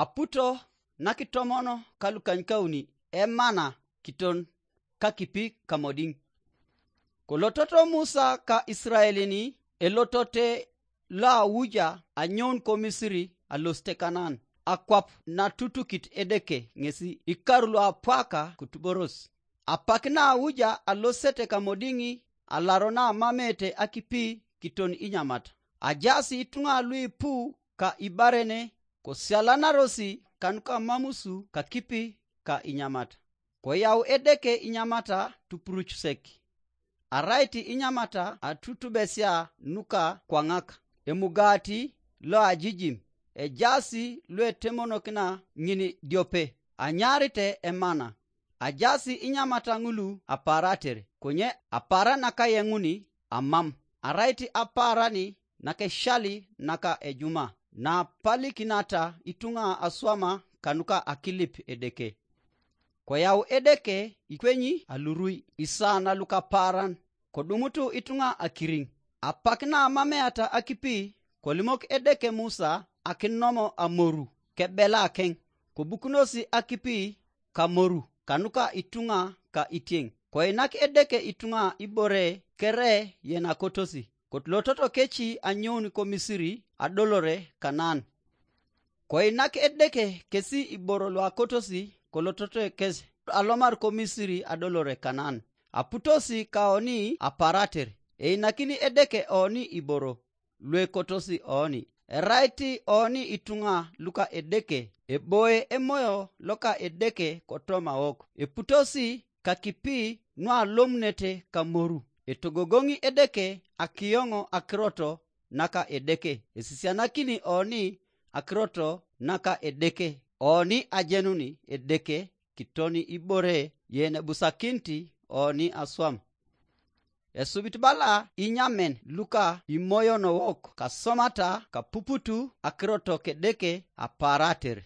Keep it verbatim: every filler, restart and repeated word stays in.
Aputo nakitomono ka lukanykauni emana kiton kakipi kamodiŋ. Kolototo Musa ka Israelin elotote loauja anyoun ko Misiri alosite Kanaan, akwap natutukit Edeke ŋesi ikaru luapwaka kotuboros. Apak nauja alosete kamodiŋ alaro namamete akipi kiton inyamat. Ajaas ituŋa luipu ka ibarene kosialanarosi kanuka mamusu kakipi ka inyamat. Koyau Edeke inyamata tupurucusek. Arait inyamata atutubesia nuka kwaŋak, emugaati loajijim, ejaas luetemonokina ŋin diope, anyaarite emana. Ajaas inyamata ŋulu apaarater, konye apaaran nakayeŋuni amam, arait apaaran nakeshali naka ejuma, napalikinata ituŋa aswama kanuka akilip Edeke. Koyau Edeke ikwenyi alurui, isaan lukapaaran, kodumutu ituŋa akiriŋ. Apak namameata akipi, kolimok Edeke Musa akinomo amoru kebelakeŋ, kobukunosi akipi kamoru kanuka ituŋa ka itieŋ. Koinak Edeke ituŋa ibore kere yenakotosi, kotlototo keci anyoun ko Misiri adolore Kanaan. Koinak Edeke kesi iboro luakotosi kolototo kes alomar ko Misiri adolore Kanaan. Aputosi kaoni aparater, einakini Edeke oni iboro luekotosi oni. Erait oni ituŋa luka Edeke, eboe emoyo loka Edeke kotoma wok. Eputosi kakipi nualomunete kamoru. Etogogoŋi Edeke akiyoŋo akiroto naka Edeke. Esisianakini oni akiroto naka Edeke, oni ajenuni Edeke kitoni ibore yenebusakinit oni aswam. Esubit bala inyamen luka imoyon wok kasomata kapuputu akiroto kedeke aparater.